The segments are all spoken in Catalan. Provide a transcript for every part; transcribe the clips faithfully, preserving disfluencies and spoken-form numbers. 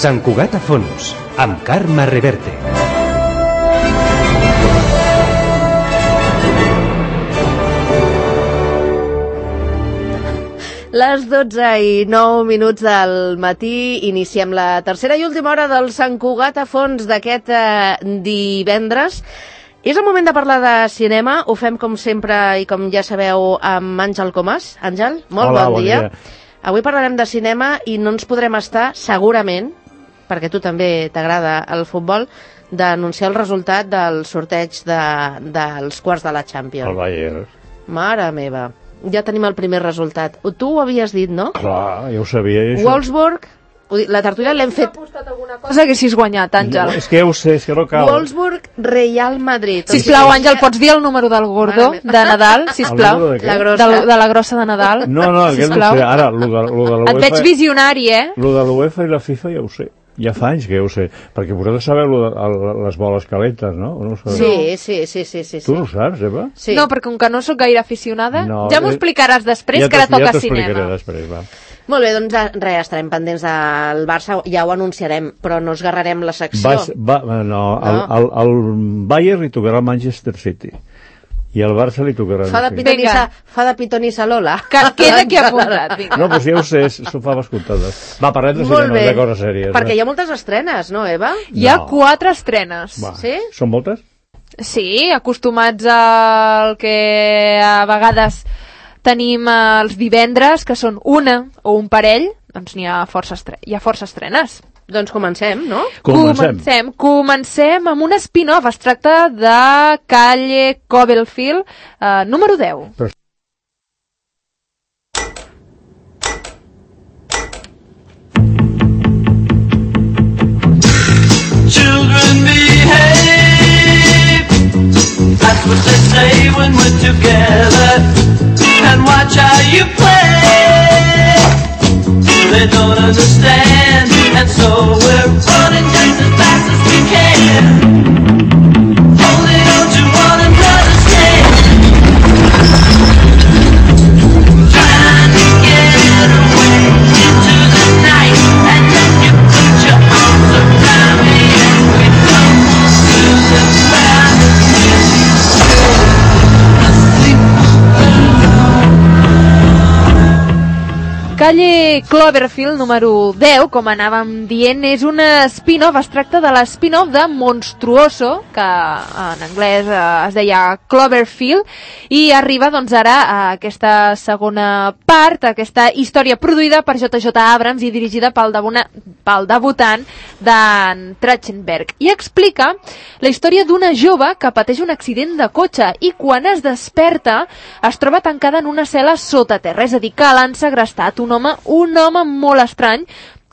Sant Cugat a fons, amb Carme Reverte. Les dotze i nou minuts del matí iniciem la tercera i última hora del Sant Cugat a fons d'aquest eh, divendres. És el moment de parlar de cinema. Ho fem com sempre i com ja sabeu amb Àngel Comas. Àngel, molt Hola, bon, bon dia. dia. Avui parlarem de cinema i no ens podrem estar, segurament, perquè tu també t'agrada el futbol, d'anunciar el resultat del sorteig de, dels quarts de la Champions. El Bayern. Mare meva. Ja tenim el primer resultat. Tu ho havies dit, no? Clar, ja ho sabia. Això. Wolfsburg, la tertúlia l'hem fet... Cosa haguessis guanyat, Àngel. No, és que ja ho sé, és que no cal. Wolfsburg, Real Madrid. Sisplau, Àngel, pots dir el número del gordo de Nadal, sisplau? El número de què? La De, grossa. de la grossa de Nadal. No, no, aquest no ho sisplau. sé. Ara, lo de, lo de Et veig l'UEFA... visionari, eh? Lo de l'UEFA i la FIFA ja ho sé. Ja fa anys que ja ho sé. Perquè vosaltres sabeu lo de, el, les boles calentes, no? O no ho sabeu? Sí, sí, sí, sí, sí. Tu no ho saps, Eva? Sí. No, perquè com que no sóc gaire aficionada, No, ja m'ho eh, explicaràs després, ja que ara t'ho- toca ja t'ho explicaré cinema. després, va. Molt bé, doncs eh, res, estarem pendents del Barça, ja ho anunciarem, però no esgarrarem la secció. Va, va, no, el, el, el Bayern li tocarà al Manchester City. I al Barça li tocarà... Fa de no sé. pitonissa, Vinga. fa de pitonissa Lola. Que queda aquí apuntat, vinga. No, doncs ja ho sé, s'ho fa escoltades. Va, parlem de Molt cinema, bé, de coses sèries. perquè va. hi ha moltes estrenes, no, Eva? Hi ha No. quatre estrenes. Va. Sí? Són moltes? Sí, acostumats al que a vegades tenim els divendres, que són una o un parell, doncs n'hi ha força, estre hi ha força estrenes. Doncs comencem, no? Comencem. Comencem, comencem amb un spin-off. Es tracta de Calle Cloverfield, eh, número deu. Però... Children behave, that's what they say when we're together. And watch how you play, they don't understand. And so we're running just as fast as we can, holding on to one another's hand, trying to get away into the night. And then you put your arms around me and we come to the ground. Calle Cloverfield, número deu, com anàvem dient, és un spin-off. Es tracta de l'spin-off de Monstruoso, que en anglès eh, es deia Cloverfield, i arriba doncs ara a aquesta segona part, aquesta història produïda per J J Abrams i dirigida pel, debuna, pel debutant d'en Trachtenberg. I explica la història d'una jove que pateix un accident de cotxe i quan es desperta es troba tancada en una cel·la sota terra, és a dir, que l'han segrestat un home, un home molt estrany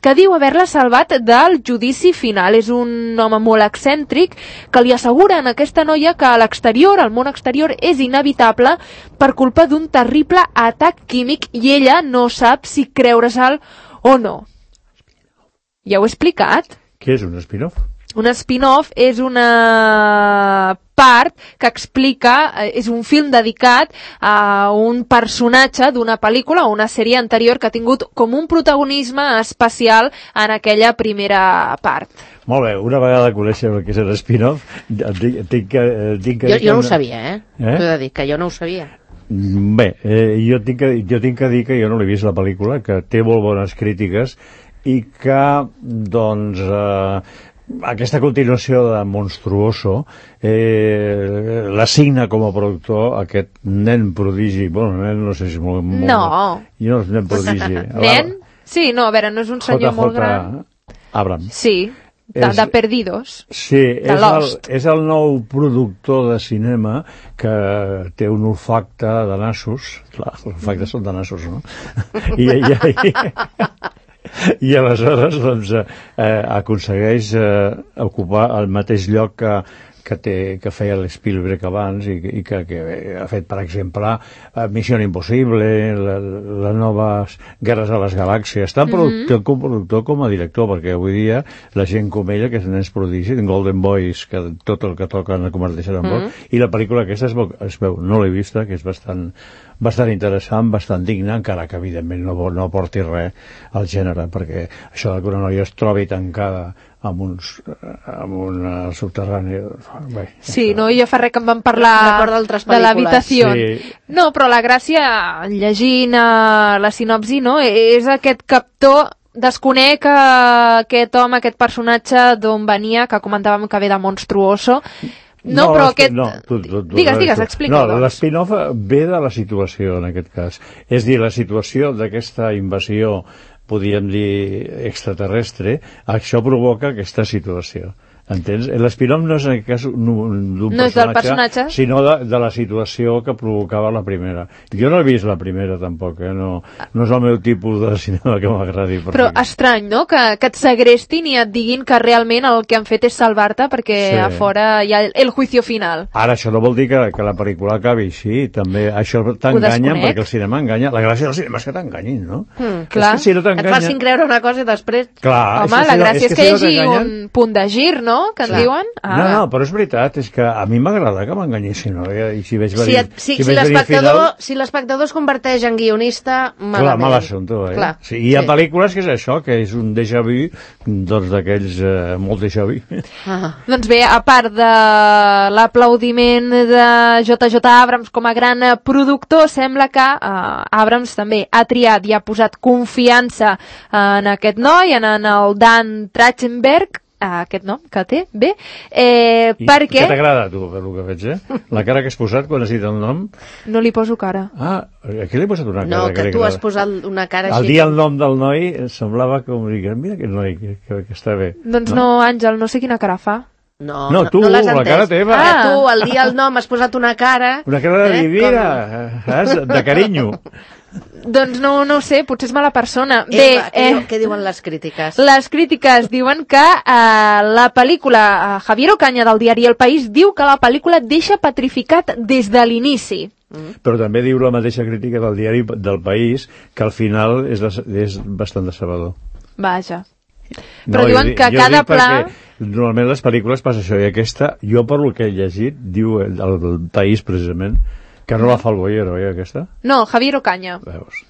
que diu haver-la salvat del judici final. És un home molt excèntric que li assegura a aquesta noia que a l'exterior, al món exterior, és inevitable per culpa d'un terrible atac químic i ella no sap si creure-se'l o no. Ja ho he explicat. Què és un spin-off? Un spin-off és una part que explica, és un film dedicat a un personatge d'una pel·lícula o una sèrie anterior que ha tingut com un protagonisme especial en aquella primera part. Molt bé, una vegada coneixem el que és el spin-off, tinc, tinc que... Tinc que Jo, dir jo no ho que- sabia, eh? Eh? T'ho he de dir, que jo no ho sabia. Bé, eh, jo, tinc que, jo tinc que dir que jo no l'he vist la pel·lícula, que té molt bones crítiques i que, doncs, eh, aquesta continuació de Monstruoso eh, l'assigna com a productor aquest nen prodigi. Bueno, nen no sé si és molt... molt No. Jo no és nen prodigi. Nen? Sí, no, a veure, no és un senyor molt gran. Abrams. Sí, de, És- de Perdidos. Sí, és el, Lost. és el nou productor de cinema que té un olfacte de nassos. Clar, els olfactes són de nassos, no? I, i, i, i aleshores doncs, eh, aconsegueix eh, ocupar el mateix lloc que, que, té, que feia l'Spielberg abans i, i que, que ha fet, per exemple, eh, Missió Impossible, la, les noves Guerres a les Galàxies, tant productor, mm -hmm. com productor com a director, perquè avui dia la gent com ella, que és nens prodigi, Golden Boys, que tot el que toquen el converteixen en bo, mm -hmm. i la pel·lícula aquesta es veu, es veu no l'he vista, que és bastant bastant interessant, bastant digne, encara que evidentment no, no aporti res al gènere, perquè això que una noia es trobi tancada amb uns amb un subterrani. Bé, sí, això... no, jo fa res que em van parlar de l'habitació. Sí. No, però la gràcia, llegint uh, la sinopsi, no, és aquest captor. Desconec uh, aquest home, aquest personatge d'on venia, que comentàvem que ve de Monstruoso. No, no però aquest... No, tu, tu, tu, digues, digues, explica-ho. No, l'espin-off ve de la situació, en aquest cas. És dir, la situació d'aquesta invasió, podríem dir, extraterrestre, això provoca aquesta situació. Entens? L'espin-off no és en aquest cas d'un no personatge, personatge, sinó de, de la situació que provocava la primera. Jo no he vist la primera, tampoc, eh? no, no és el meu tipus de cinema que m'agradi. Però aquí. Estrany, no?, que, que et segrestin i et diguin que realment el que han fet és salvar-te perquè sí. A fora hi ha el, el juicio final. Ara, això no vol dir que, que la pel·lícula acabi així, també això t'enganyen, perquè el cinema enganya. La gràcia del cinema és que t'enganyin, no? Mm, clar, és que si no et facin creure una cosa i després... Clar, home, és que la si gràcia és que, és que si no hi hagi un punt de gir, no?, que clar. En diuen. Ah. No, no, però és veritat, és que a mi m'agrada que m'enganyessin, no? I si veig venir... Si, et, si, si, si l'espectador final... si l'espectador es converteix en guionista, malament. Clar, mal assumpte, eh? Clar, sí, hi ha sí. pel·lícules que és això, que és un déjà vu, doncs d'aquells eh, molt déjà vu. Ah. Doncs bé, a part de l'aplaudiment de J J Abrams com a gran productor, sembla que eh, Abrams també ha triat i ha posat confiança en aquest noi, en, en el Dan Trachtenberg, aquest nom que té, bé, eh, I perquè... Què t'agrada, tu, per el que veig, eh? La cara que has posat quan has dit el nom? No li poso cara. Ah, aquí li he posat una cara. No, que, que tu has posat una cara així. Al dir el nom del noi, semblava com dir, mira aquest noi, que, que, que està bé. Doncs no, no, Àngel, no sé quina cara fa. No, no, tu, no l'has la entès. cara teva. Ah, tu, al dir el nom, has posat una cara... Una cara de eh, divina, com... de carinyo. Doncs no, no ho sé, potser és mala persona. Eva, Bé, què, eh, diu, què diuen les crítiques? Les crítiques diuen que eh, la pel·lícula, eh, Javier Ocaña del diari El País diu que la pel·lícula deixa petrificat des de l'inici. Mm. Però també diu la mateixa crítica del diari del País que al final és, de, és bastant decebedor. Vaja. No, però diuen jo, que jo cada pla... Normalment les pel·lícules passa això, i aquesta, jo per lo que he llegit, diu el, el País precisament, que no la fa el Boyero, eh, aquesta? No, Javier Ocaña. Veus.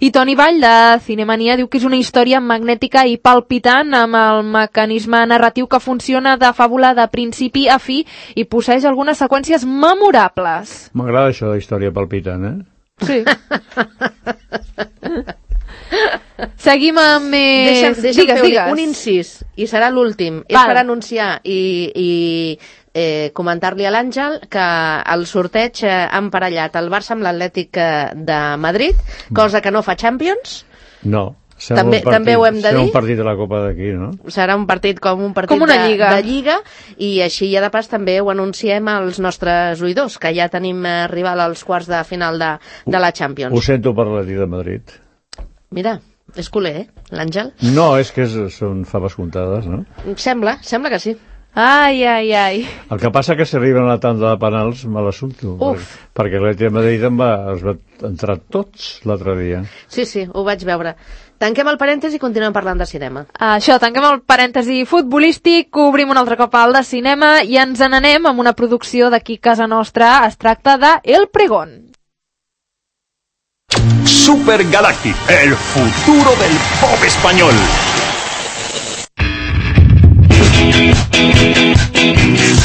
I Toni Vall, de Cinemania, diu que és una història magnètica i palpitant amb el mecanisme narratiu que funciona de fàbula de principi a fi i posseeix algunes seqüències memorables. M'agrada això de història palpitant, eh? Sí. Seguim amb més... Deixa'm, deixa'm digues, fer digues. un incís, i serà l'últim. És per anunciar i, i eh, comentar-li a l'Àngel que el sorteig eh, ha emparellat el Barça amb l'Atlètic de Madrid, cosa que no fa Champions. No. També, partit, també ho hem de dir. Serà un partit de la Copa d'aquí, no? Serà un partit com un partit com una de, lliga. de lliga, i així ja de pas també ho anunciem als nostres oïdors, que ja tenim eh, rival als quarts de final de, de la Champions. Ho sento per l'Atlètic de Madrid. Mira, és culer, eh, l'Àngel? No, és que és, són faves comptades, no? Sembla, sembla que sí. Ai, ai, ai. El que passa que si arriben a la tanda de penals me l'assumpto. Uf. Perquè l'Atlètic de Madrid em va, es va entrar tots l'altre dia. Sí, sí, ho vaig veure. Tanquem el parèntesi i continuem parlant de cinema. Això, tanquem el parèntesi futbolístic, obrim un altre cop al de cinema i ens n'anem amb una producció d'aquí casa nostra. Es tracta de El Pregón. Super Galactic, el futuro del pop español.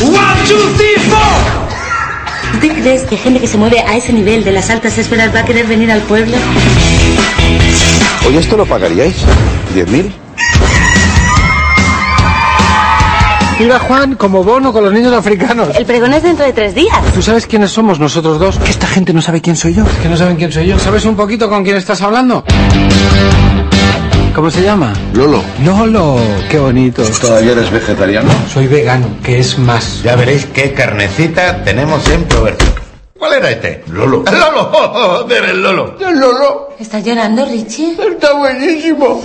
One, two, three, four. ¿Usted cree que gente que se mueve a ese nivel de las altas esferas va a querer venir al pueblo? Oye, ¿esto lo pagaríais? ¿Diez mil? Iba Juan como Bono con los niños africanos. El pregón es dentro de tres días. ¿Tú sabes quiénes somos nosotros dos? Que esta gente no sabe quién soy yo. Es que no saben quién soy yo. ¿Sabes un poquito con quién estás hablando? ¿Cómo se llama? Lolo. Lolo, qué bonito. ¿Todavía eres vegetariano? Soy vegano, que es más. Ya veréis qué carnecita tenemos en Provercio. ¿Cuál era este? Lolo. ¡El Lolo! ¡Joder, el Lolo! ¿El Lolo? ¿Estás llorando, Richie? Está buenísimo.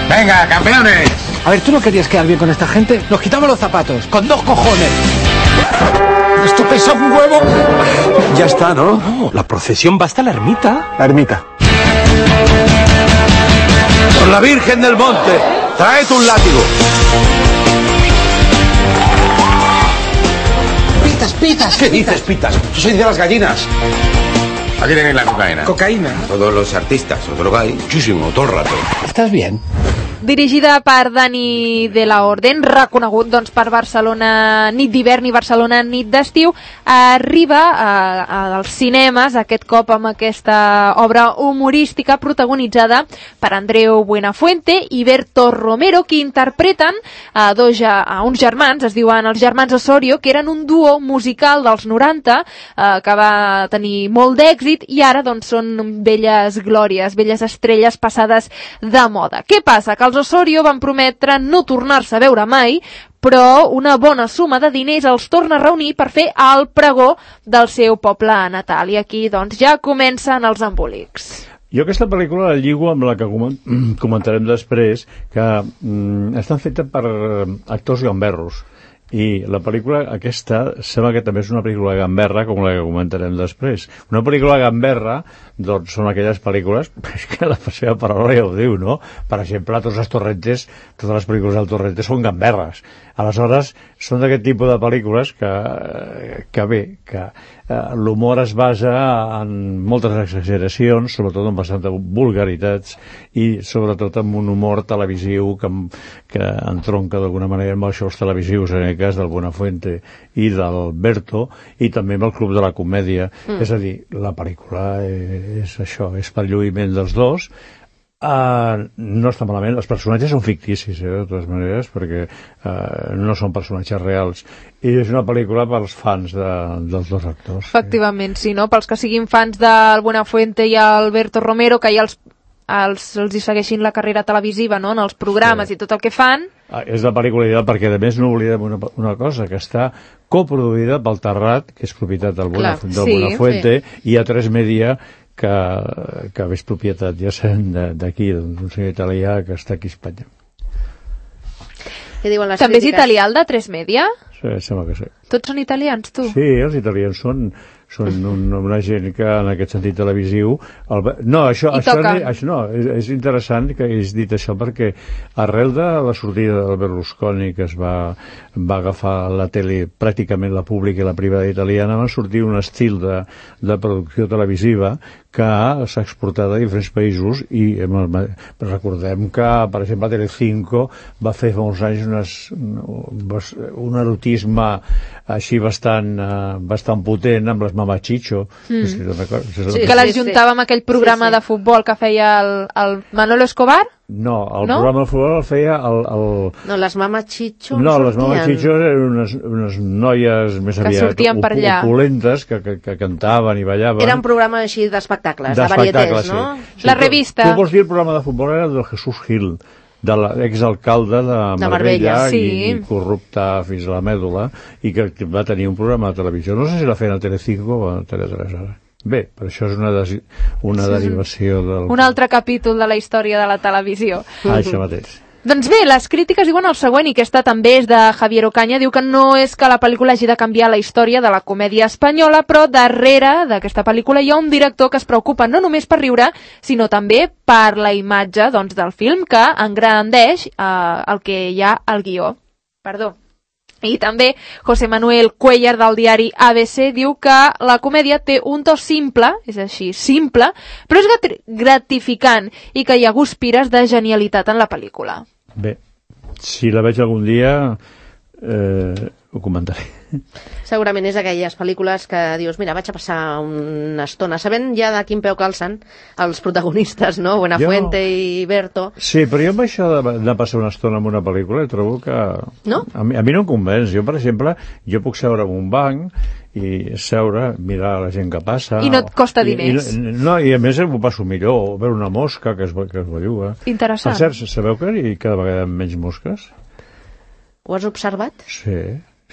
¡Venga, campeones! A ver, ¿tú no querías quedar bien con esta gente? Nos quitamos los zapatos, con dos cojones. ¿Esto pesa un huevo? Ya está, ¿no? No, la procesión va hasta la ermita. La ermita. Por la Virgen del Monte, traed un látigo. pitas, pitas. ¿Qué dices, pitas? Yo soy de las gallinas. Aquí tenéis la cocaína. Cocaïna. Todos los artistas os drogáis muchísimo, todo el rato. ¿Estás bien? Dirigida per Dani de la Orden, reconegut doncs, per Barcelona nit d'hivern i Barcelona nit d'estiu, arriba a, a, als cinemes aquest cop amb aquesta obra humorística protagonitzada per Andreu Buenafuente i Berto Romero, que interpreten a, dos, a uns germans, es diuen els germans Osorio, que eren un duo musical dels noranta eh, que va tenir molt d'èxit i ara doncs, són velles glòries, velles estrelles passades de moda. Què passa? Que els Osorio van prometre no tornar-se a veure mai, però una bona suma de diners els torna a reunir per fer el pregó del seu poble natal. I aquí doncs, ja comencen els embolics. Jo aquesta pel·lícula la lligo amb la que comentarem després, que mm, estan feta per actors gamberros. I la pel·lícula aquesta sembla que també és una pel·lícula gamberra, com la que comentarem després. Una pel·lícula gamberra, doncs són aquelles pel·lícules, és que la seva paraula ja ho diu, no? Per exemple, tots els Torrentes, totes les pel·lícules del Torrente són gamberres. Aleshores, són d'aquest tipus de pel·lícules que, que bé, que eh, l'humor es basa en moltes exageracions, sobretot en bastanta vulgaritats, i sobretot en un humor televisiu que, que entronca d'alguna manera amb els shows televisius, en el cas del Buenafuente i del Berto, i també amb el Club de la Comèdia. Mm. És a dir, la pel·lícula és això, és per lluïment dels dos. Uh, no està malament, els personatges són ficticis, eh, de totes maneres, perquè uh, no són personatges reals, i és una pel·lícula pels fans de, dels dos actors. Efectivament, sí, no? Pels que siguin fans del Buenafuente i Alberto Romero, que ja els, els, els hi segueixin la carrera televisiva, no?, en els programes sí. I tot el que fan. Ah, és la pel·lícula ideal perquè, a més, no oblidem una, una cosa, que està coproduïda pel Terrat, que és propietat del, Clar, Buenaf del sí, Buenafuente, sí. I A tres Media, que, que és propietat, ja sabem, d'aquí, d'un senyor italià que està aquí a Espanya. També crítiques? És italià el de tres Media? Sí, sembla que sí. Tots són italians, tu? Sí, els italians són, són un, una gent que, en aquest sentit televisiu... El, no, això, això, això no, és, és interessant que hagis dit això, perquè arrel de la sortida del Berlusconi, que es va, va agafar la tele, pràcticament la pública i la privada italiana, va sortir un estil de, de producció televisiva que s'ha exportat a diferents països i recordem que, per exemple, Telecinco va fer fa molts anys unes, un erotisme així bastant, bastant potent amb les Mamachicho. Mm. Sí, que les juntava amb aquell programa sí, sí. de futbol que feia el, el Manolo Escobar? No, el no? programa de futbol el feia el... el... No, les Mamachicho no, les Mamachicho eren unes, unes noies més que aviat op allà. opulentes que, que, que cantaven i ballaven. Era un programa així d'espectacles, de, de varietés, no? Sí. La sí, revista. Tu, tu vols dir el programa de futbol era del Jesús Gil, de l'exalcalde de, de Marbella, sí. i, i corrupte fins a la mèdula, i que va tenir un programa de televisió. No sé si la feien a Telecinco o a Tele tres ara. Bé, però això és una, una derivació del... Un altre capítol de la història de la televisió. Ah, això mateix. Doncs bé, les crítiques diuen el següent, i aquesta també és de Javier Ocaña, diu que no és que la pel·lícula hagi de canviar la història de la comèdia espanyola, però darrere d'aquesta pel·lícula hi ha un director que es preocupa no només per riure, sinó també per la imatge doncs, del film, que engrandeix eh, el que hi ha al guió. Perdó. I també José Manuel Cuellar del diari A B C diu que la comèdia té un to simple, és així, simple, però és gratificant i que hi ha guspires de genialitat en la pel·lícula. Bé, si la veig algun dia eh, ho comentaré. Segurament és d'aquelles pel·lícules que dius, mira, vaig a passar una estona, sabent ja de quin peu calcen els protagonistes, no? Buenafuente jo... i Berto. Sí, però jo amb això de, de passar una estona en una pel·lícula trobo que... No? A mi, a mi no em convenç. Jo, per exemple, jo puc seure en un banc i seure, mirar la gent que passa... I no et costa diners. I, i, no, i a més m'ho passo millor, veure una mosca que es, que es belluga. Interessant. Per cert, sabeu que hi cada vegada menys mosques? Ho has observat? Sí.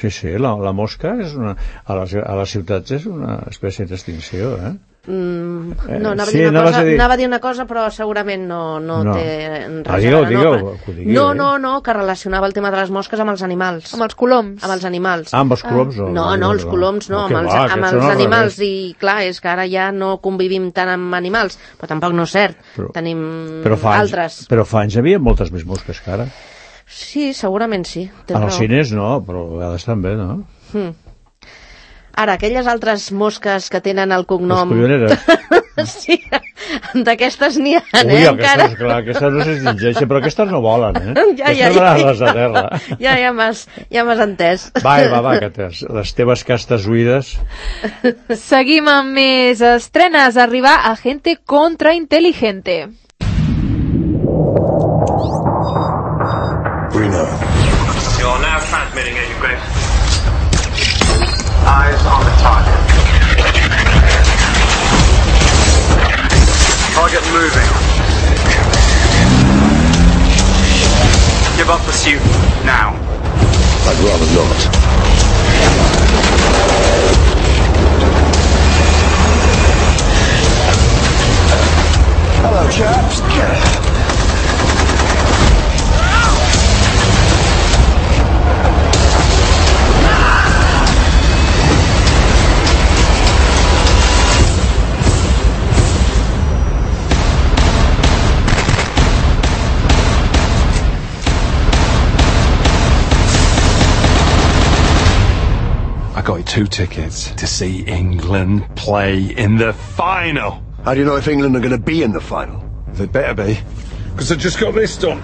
Sí, sí, la, la mosca és una, a, les, a les ciutats és una espècie d'extinció, eh? Mm, no, anava, sí, a dir una cosa, a dir... anava a dir una cosa, però segurament no, no, no. té res ah, digueu, a veure. Digueu, no, digueu, no, eh? no, no, que relacionava el tema de les mosques amb els animals. Amb els coloms. Amb els animals. Ah, amb els coloms? Ah. No, no, no, els coloms no, no amb els, va, amb els animals. I clar, és que ara ja no convivim tant amb animals, però tampoc no és cert. Però, Tenim però fa anys, altres. Però fa anys hi havia moltes més mosques que ara. Sí, segurament sí. En els cines no, però a vegades també, no? Hmm. Ara, aquelles altres mosques que tenen el cognom... Les colloneres. Sí, d'aquestes n'hi ha, Ui, eh, aquestes, encara. clar, aquestes no s'extingeixen, però aquestes no volen, eh? Ja, ja, aquestes van ja, a les de terra. Ja, ja m'has ja m'has entès. Va, va, va, que tens les teves castes oïdes. Seguim amb més estrenes. Arribar a Agente Contrainteligente. Bruno. You're now transmitting, Agent Grace. Eyes on the target. Target moving. Give up pursuit now. I'd rather not. Hello, chaps. I got two tickets to see England play in the final. How do you know if England are going to be in the final? They better be, because I just got this done.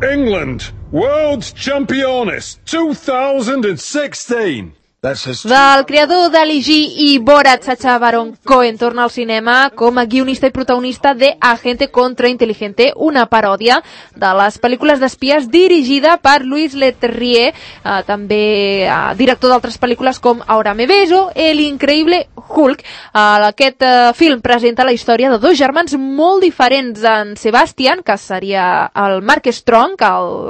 England, World Championess two thousand sixteen. Del creador d'Ali G i Borat, Sacha Baron Cohen torna al cinema com a guionista i protagonista de Agente Contrainteligente, una paròdia de les pel·lícules d'espies dirigida per Louis Leterrier, eh, també eh, director d'altres pel·lícules com Ahora me beso, El increïble Hulk. Eh, aquest eh, film presenta la història de dos germans molt diferents, en Sebastian, que seria el Mark Strong,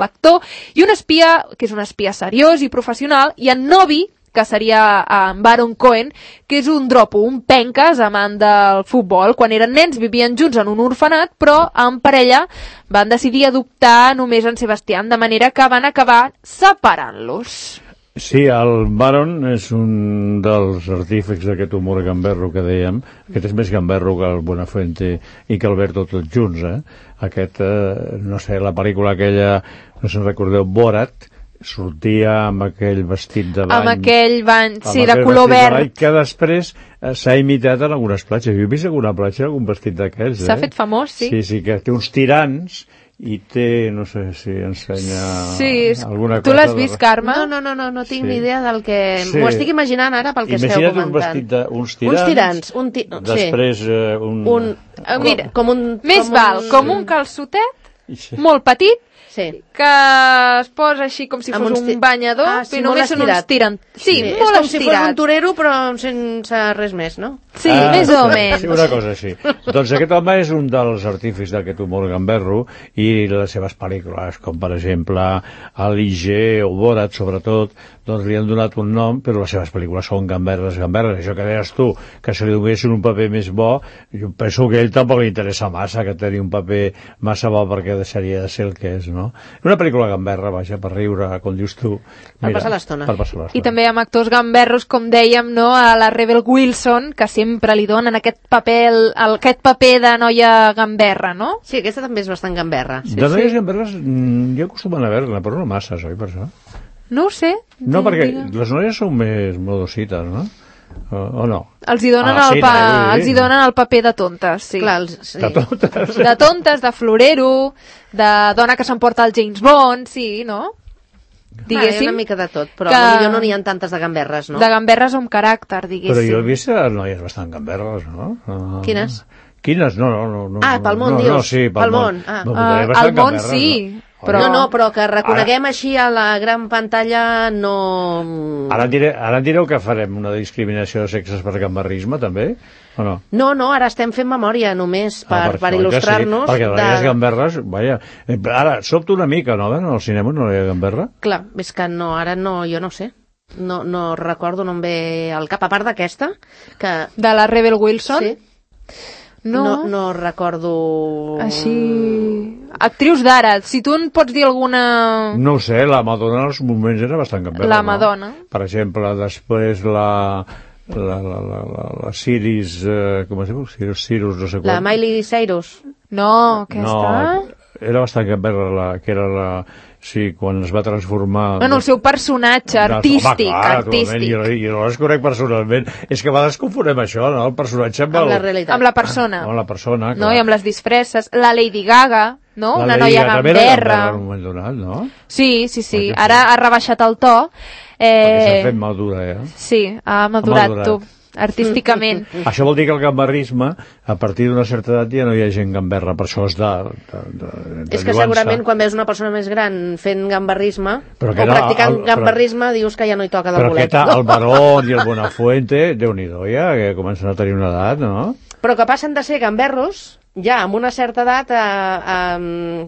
l'actor, i un espia, que és un espia seriós i professional, i en Novi, que seria en Baron Cohen, que és un dropo, un penques, amant del futbol. Quan eren nens vivien junts en un orfenat, però en parella van decidir adoptar només en Sebastián, de manera que van acabar separant-los. Sí, el Baron és un dels artífics d'aquest humor gamberro que dèiem. Aquest és més gamberro que el Buenafuente i que Alberto tots junts, eh? Aquest, eh, no sé, la pel·lícula aquella, no se'n recordeu, Borat, sortia amb aquell vestit de bany, amb aquell bany, sí, de color verd, bany, que després eh, s'ha imitat en algunes platges. Jo he vist alguna platja algun vestit d'aquells, eh? S'ha fet famós, sí. Sí, sí, que té uns tirants i té, no sé si ensenya sí, alguna cosa. Tu l'has vist, de... Carme? No, no, no, no, no tinc sí. ni idea del que... Sí. M'ho estic imaginant ara pel que Imagina't esteu comentant. Un vestit de, uns tirants, uns tirants un ti... després sí. eh, un... un... Uh, mira, com un... Més com val, un... com un calçotet, sí. molt petit, sí. que es posa així com si fos un banyador, ah, sí, però només són uns tirants. Sí, sí, molt és com estirat. si fos un torero, però sense res més, no? Sí, ah, més o menys. Sí, una cosa així. Doncs aquest home és un dels artífics d'aquest humor gamberro i les seves pel·lícules, com per exemple Ali G o Borat, sobretot, doncs li han donat un nom, però les seves pel·lícules són gamberres, gamberres. Això que deies tu, que se li donessin un paper més bo, jo penso que a ell tampoc li interessa massa que tenir un paper massa bo perquè deixaria de ser el que és, no? Una pel·lícula gamberra, vaja, per riure, com dius tu. Mira, per passar l'estona. Per passar l'estona. I també amb actors gamberros, com dèiem, no? A la Rebel Wilson, que sempre li donen aquest paper, el, aquest paper de noia gamberra, no? Sí, aquesta també és bastant gamberra. Sí, de noies sí. gamberres, jo acostumen a veure-ne, però no masses, oi, per això? No ho sé. No, perquè les noies són més modosites, no? O, o no? Els hi donen, ah, el, sí, pa... no, els hi donen el paper de tontes, sí. Clar, els... sí. De tontes. De tontes, de florero, de dona que s'emporta el James Bond, sí, no? Diguéssim, ah, una mica de tot, però que... potser no n'hi ha tantes de gamberres, no? De gamberres amb caràcter, diguéssim. Però jo he vist noies bastant gamberres, no? Uh... Quines? Quines? No, no, no. no ah, pel món, no, dius? No, sí, pel, pel món. món. Ah. No, uh, al món sí, no? però... No, no, però que reconeguem ara... així a la gran pantalla no... Ara en, diré, ara en direu que farem una discriminació de sexes per gamberrisme, també? O no? No, no, ara estem fent memòria només per, ah, per, per il·lustrar-nos. Sí, perquè de... les gamberres, vaja, ara sobto una mica, no? En el cinema no hi ha gamberra? Clar, és que no, ara no, jo no sé. No, no recordo, no em ve al cap, a part d'aquesta, que... De la Rebel Wilson? Sí. No. no, no recordo... Així... Actrius d'ara, si tu en pots dir alguna... No ho sé, la Madonna en els moments era bastant gamberra. La Madonna. No? Per exemple, després la... La, la, la, la, la Ciris, eh, com es diu? Cirus, Cirus, no sé quan. La Miley Cyrus. No, aquesta... No, era bastant gamberra, la, que era la... Sí, quan es va transformar... Bueno, el seu personatge artístic. Home, clar, artístic. Jo, jo no les conec personalment. És que a vegades confonem això, no? El personatge amb, amb el... la realitat. Amb la persona. Amb la persona, clar. No? I amb les disfresses. La Lady Gaga, no? La Una Lady noia Gaga també era gamberra. gamberra en un moment donat, no? Sí, sí, sí. Perquè Ara ha rebaixat el to. Eh... Perquè s'ha fet madura, eh? Sí, ha madurat, Ha madurat. tu, artísticament. Això vol dir que el gamberrisme, a partir d'una certa edat ja no hi ha gent gamberra, per això és de, de, de, de És que segurament quan veus una persona més gran fent gamberrisme Però o que era practicant el- gamberrisme, dius que ja no hi toca del Però bolet. aquest, el Barón i el Buenafuente, Déu-n'hi-do ja, que comencen a tenir una edat, no? Però que passen de ser gamberros ja amb una certa edat a, a,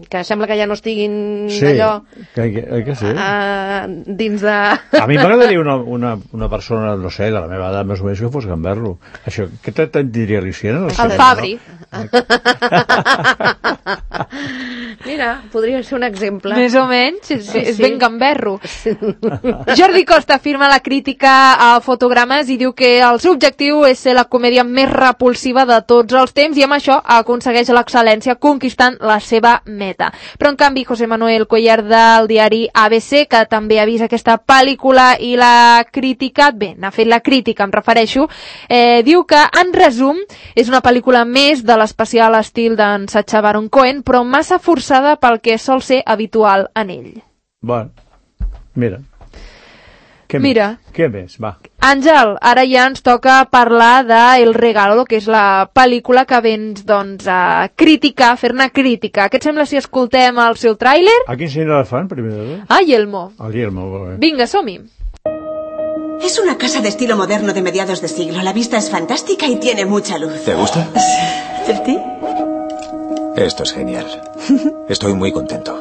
que sembla que ja no estiguin Sí, allò que, que, que sí. a, dins de... A mi m'agradaria una, una, una persona, no sé, de la meva edat més o menys que fos gamberro. Això, què te- te'n diria l'Icena? No sé, El Fabri. Mira, podria ser un exemple. Més o menys, és, Sí, és sí. ben gamberro. Jordi Costa afirma la crítica a Fotogrames i diu que el seu objectiu és ser la comèdia més repulsiva de tots els temps i amb això aconsegueix l'excel·lència conquistant la seva meta. Però en canvi José Manuel Cuellar del diari A B C, que també ha vist aquesta pel·lícula i l'ha criticat, bé, n'ha fet la crítica, em refereixo, eh, diu que en resum és una pel·lícula més de l'especial estil d'en Sacha Baron Cohen, però massa forçada pel que sol ser habitual en ell. Bueno, mira. Què Mira. Més? Què més? Va. Àngel, ara ja ens toca parlar de El Regalo, que és la pel·lícula que vens, doncs, a criticar, fer-ne crítica. Què et sembla si escoltem el seu tràiler? A quin senyal fan, primer de tot? Ah, Yelmo. El Guillermo, molt bé. Vinga, som-hi. Es una casa de estilo moderno de mediados de siglo. La vista es fantástica y tiene mucha luz. ¿Te gusta? ¿A ti? Esto es genial. Estoy muy contento.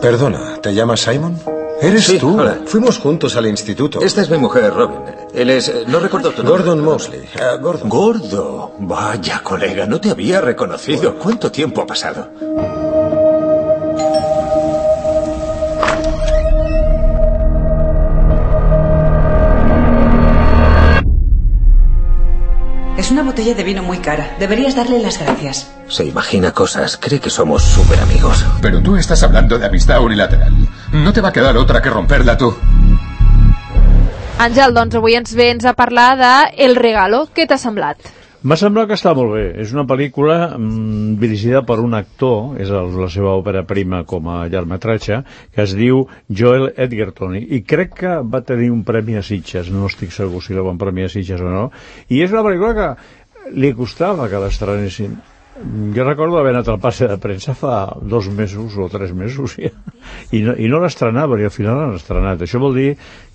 Perdona, ¿te llamas Simon? ¿Eres Sí, tú? hola. Fuimos juntos al instituto. Esta es mi mujer, Robin. Él es... eh, No recuerdo tu nombre. Gordon Mosley. Ah, Gordon. Gordo. Vaya, colega, no te había reconocido. ¿Cuánto tiempo ha pasado? Es una botella de vino muy cara. Deberías darle las gracias. Se imagina cosas. Cree que somos súper amigos. Pero tú estás hablando de amistad unilateral. No te va a quedar otra que romperla tú. Àngel, doncs avui ens vens a parlar de El Regalo. Què t'ha semblat? M'ha semblat que està molt bé. És una pel·lícula mm, dirigida per un actor, és el, la seva òpera prima com a llargmetratge, que es diu Joel Edgerton, i crec que va tenir un premi a Sitges, no estic segur si la van premi a Sitges o no, i és una pel·lícula que li costava que l'estrenessin. Jo recordo haver anat al passe de premsa fa dos mesos o tres mesos ja, i no, i no l'estrenaven i al final l'han estrenat. Això vol dir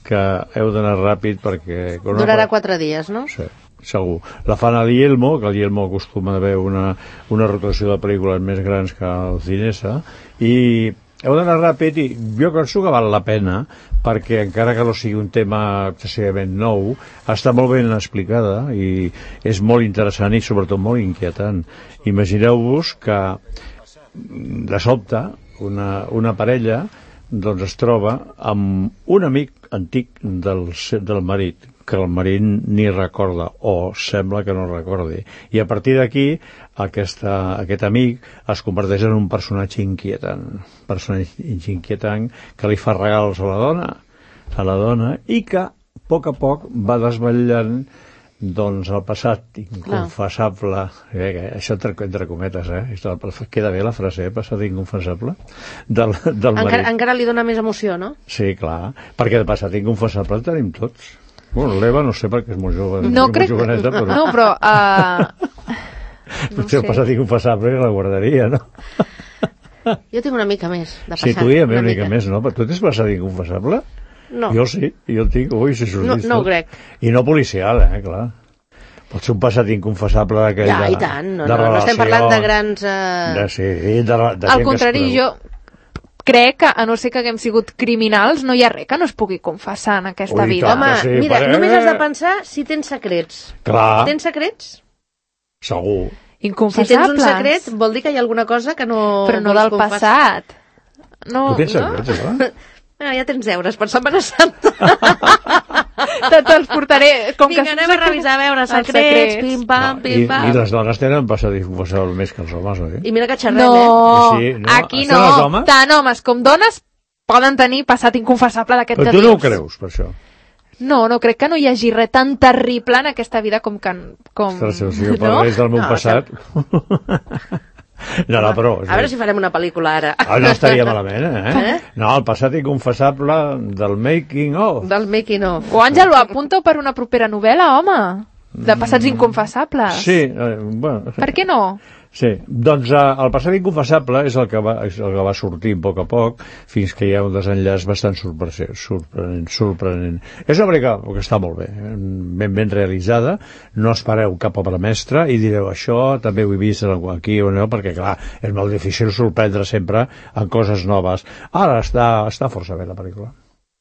que heu d'anar ràpid perquè... Durarà quatre dies, no? Sí, segur. La fan a l'Ielmo, que l'Ielmo acostuma a haver una, una rotació de pel·lícules més grans que el Cinesa, i heu d'anar ràpid i jo penso que val la pena perquè encara que no sigui un tema excessivament nou, està molt ben explicada i és molt interessant i sobretot molt inquietant. Imagineu-vos que de sobte una, una parella doncs es troba amb un amic antic del, del marit, que el marit ni recorda o sembla que no recordi, i a partir d'aquí aquesta, aquest amic es converteix en un personatge inquietant personatge inquietant que li fa regals a la dona a la dona i que a poc a poc va desvetllant doncs el passat inconfessable, eh, això entre, entre cometes, eh? Queda bé la frase, eh? Passat inconfessable del, del marit. Encara, encara li dona més emoció, no? Sí, clar, perquè de passat inconfessable en tenim tots. Bueno, l'Eva no sé perquè és molt jove, no molt crec... joveneta, però... No, però... Uh... No potser sé. El passat inconfessable la guardaria, no? Jo tinc una mica més de passat. Sí, tu hi ha una, una mica, mica més, no? Però tu tens passat inconfessable? No. Jo sí, jo el tinc, ui, si no, no ho crec. I no policial, eh, clar. Pot ser un passat inconfessable d'aquell ja, de, i tant, no, de no, no estem parlant de grans... Uh... De, sí, de, de Al contrari, jo crec que, a no ser que haguem sigut criminals, no hi ha res que no es pugui confessar en aquesta ui, vida. tant, Home, sí, mira, perquè... només has de pensar si tens secrets. Clar. Tens secrets? Segur. Inconfessables. Si tens un secret, vol dir que hi ha alguna cosa que no... Però no del confessar. passat. No, tu tens secrets, no? no? Ah, ja tens deures per Setmana Santa. Te te'ls portaré... Com Vinga, que anem a revisar, a veure, secrets, secrets. pim-pam, I, pim-pam. I les dones tenen passat i confessar més que els homes, oi? I mira que xerrem, No, eh? Sí, no? aquí Estan no. els homes? Tant homes com dones poden tenir passat inconfessable d'aquest Però que tu no ho dius. creus, per això. No, no crec que no hi hagi res tan terrible en aquesta vida com... que com... Ostres, si jo parlés del meu No, passat... No, no, però... A veure si farem una pel·lícula ara. Ah, no estaria malament, eh? Eh? No, el passat inconfessable del making of. Del making of. O Àngel, ho apunta per una propera novel·la, home. De passats inconfessables. Sí, eh, bueno... Per què no? Sí, doncs eh, el passat inconfessable és el que va, és el que va sortir a poc a poc fins que hi ha un desenllaç bastant sorprenent. sorprenent, sorprenent. És una pel·lícula que està molt bé, ben ben realitzada, no espereu cap obra mestra i direu això també ho he vist aquí o no, perquè clar, és molt difícil sorprendre sempre en coses noves. Ara està, està força bé la pel·lícula.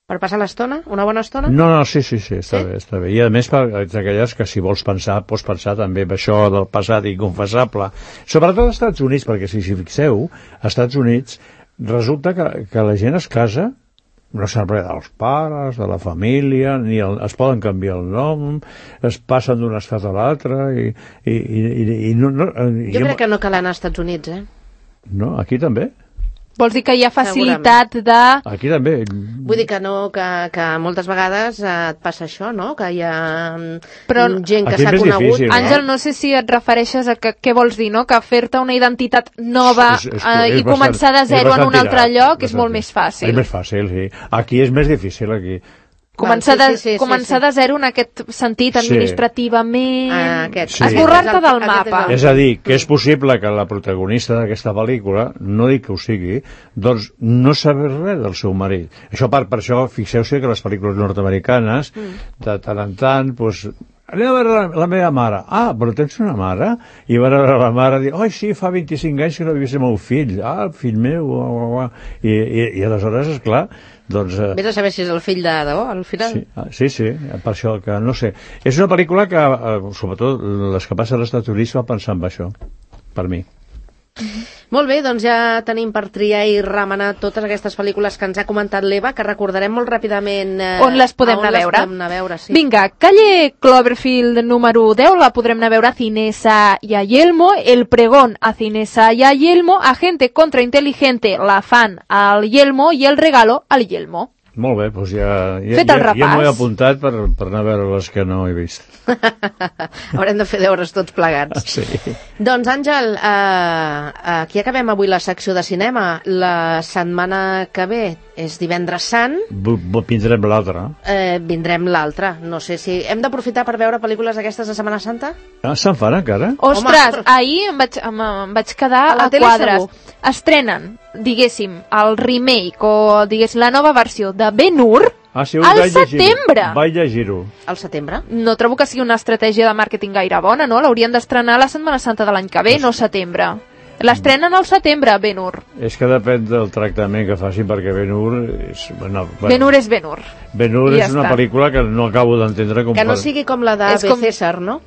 Per passar l'estona? Una bona estona? No, no, sí, sí, sí, està Sí? bé, està bé. I a més, per aquelles que si vols pensar, pots pensar també en això del passat inconfessable. Sobretot als Estats Units, perquè si s'hi fixeu, als Estats Units resulta que, que la gent es casa, no se'n res dels pares, de la família, ni el, es poden canviar el nom, es passen d'un estat a l'altre, i, i, i, i, i no... no i Jo crec que no cal anar als Estats Units, eh? No, aquí també. Vols dir que hi ha facilitat de... Aquí també. Vull dir que no, que, que moltes vegades eh, et passa això, no? Que hi ha Però gent que aquí és s'ha més conegut. difícil, no? Àngel, no sé si et refereixes a que, què vols dir, no? Que fer-te una identitat nova És- és- eh, és i començar bastant- de zero és en un bastant altre tirat, lloc és bastant molt més tirat. fàcil. És més fàcil, sí. Aquí és més difícil, aquí. Començar, Val, sí, de, sí, sí, començar sí, de zero en aquest sentit, Sí. sí. administrativament... Ah, aquest. Sí. Esborrar-te Aquest és el- del aquest és mapa. el- És a dir, que és possible que la protagonista d'aquesta pel·lícula, no dic que ho sigui, doncs no sabés res del seu marit. Això per, per això, fixeu-se que les pel·lícules nord-americanes, de tant en tant, doncs, anem a veure la, la meva mare. Ah, però tens una mare? I van a veure la mare i dir, oi, sí, fa vint-i-cinc anys que no he vist el meu fill. Ah, el fill meu. Uah, uah, uah. I, i, I aleshores, esclar, doncs... Eh, Vés a saber si és el fill de debò, al final. Sí, ah, sí, sí, per això que no sé. És una pel·lícula que, eh, sobretot les que passen als Estats Units, va pensar en això, per mi. Molt bé, doncs ja tenim per triar i remenar totes aquestes pel·lícules que ens ha comentat l'Eva, que recordarem molt ràpidament... Eh, On les podem on anar a les veure? podem anar a veure, sí. Vinga, calle Cloverfield número deu, la podrem anar a veure a Cinesa y a Yelmo, El pregón a Cinesa y a Yelmo, Agente contrainteligente, La fan al Yelmo i El regalo al Yelmo. Molt bé, doncs ja, ja, Fet el ja, ja m'ho he repàs. apuntat per, per anar a veure les que no he vist. Haurem de fer deures tots plegats. Sí. Doncs, Àngel, eh, aquí acabem avui la secció de cinema. La setmana que ve és divendres sant, Bu- bu- Vindrem l'altre. eh, vindrem l'altre. No sé si... Hem d'aprofitar per veure pel·lícules d'aquestes de Setmana Santa? Ah, se'n fan encara? Ostres, ahir em vaig, em, em vaig quedar A la a, tele quadres. segur. Estrenen, diguéssim, el remake o diguéssim la nova versió de Ben-Hur Ah, sí, al vaig llegir-ho. setembre. Vaig llegir-ho. Al setembre? No trobo que sigui una estratègia de màrqueting gaire bona, no? L'haurien d'estrenar la Setmana Santa de l'any que ve, no setembre. L'estrenen al setembre, Ben-Hur. És que depèn del tractament que facin, perquè Ben-Hur és... Bueno, bueno, Ben-Hur és Ben-Hur. Ben-Hur I és ja una està. pel·lícula que no acabo d'entendre com... Que no fa- sigui com la de És B. com- César, no?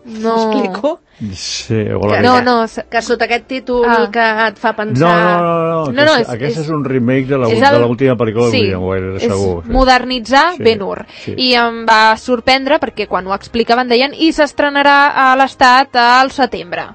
No. M'explico? Sí, o la... No, no, s- Que sota aquest títol Ah. que et fa No, pensar... no, no, no, No, no, aquesta, és- aquesta és, és- un remake de la- és de el- l'última pel·lícula de sí, William Wyler, és segur. Sí. modernitzar Sí, Ben-Hur. sí. I em va sorprendre perquè quan ho explicaven deien i s'estrenarà a l'Estat al setembre.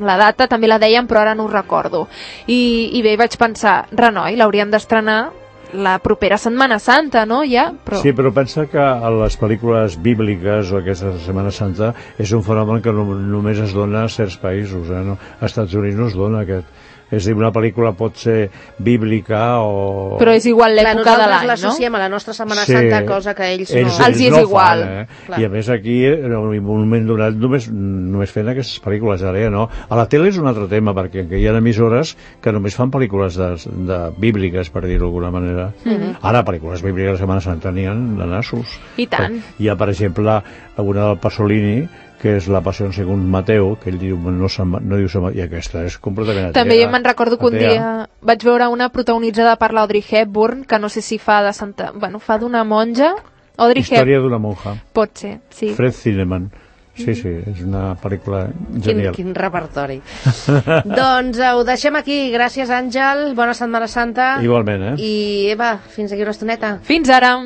La data també la deien, però ara no ho recordo. I, i bé, vaig pensar, renoi, l'haurien d'estrenar la propera Setmana Santa, no? Ja, però... Sí, però pensa que a les pel·lícules bíbliques o aquesta Setmana Santa és un fenomen que no, només es dona a certs països, eh? No? Als Estats Units no es dona aquest. És a dir, una pel·lícula pot ser bíblica o... Però és igual Clar, l'època de nosaltres l'any, no? l'associem a la nostra Setmana Sí. Santa, cosa que ells, ells, no... Els hi és no igual. Fan, eh? Clar. I a més aquí, en un moment donat, només, només fent aquestes pel·lícules, ara ja no. A la tele és un altre tema, perquè hi ha emissores que només fan pel·lícules de, de bíbliques, per dir-ho d'alguna manera. Mhm. Ara, pel·lícules bíbliques de Setmana Santa n'hi ha de nassos. I tant. Hi ha, per exemple, una del Pasolini, que és la Passió segons Mateu, que ell diu, no, se'n va- no diu se'n va- i aquesta és completament També atea. jo me'n recordo que un Atea. dia vaig veure una protagonitzada per l'Audrey Hepburn, que no sé si fa de Santa... Bueno, fa d'una monja. Audrey Història Hepburn. d'una monja. Pot ser, sí. Fred Zinnemann. Sí, sí, és una pel·lícula Quin, genial. quin repertori. Doncs eh, ho deixem aquí. Gràcies, Àngel. Bona Setmana Santa. Igualment, eh? I Eva, fins aquí una estoneta. Fins ara!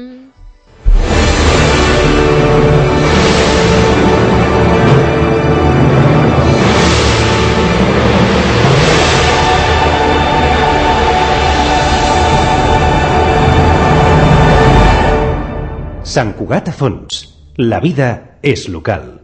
Sant Cugat a Fons. La vida és local.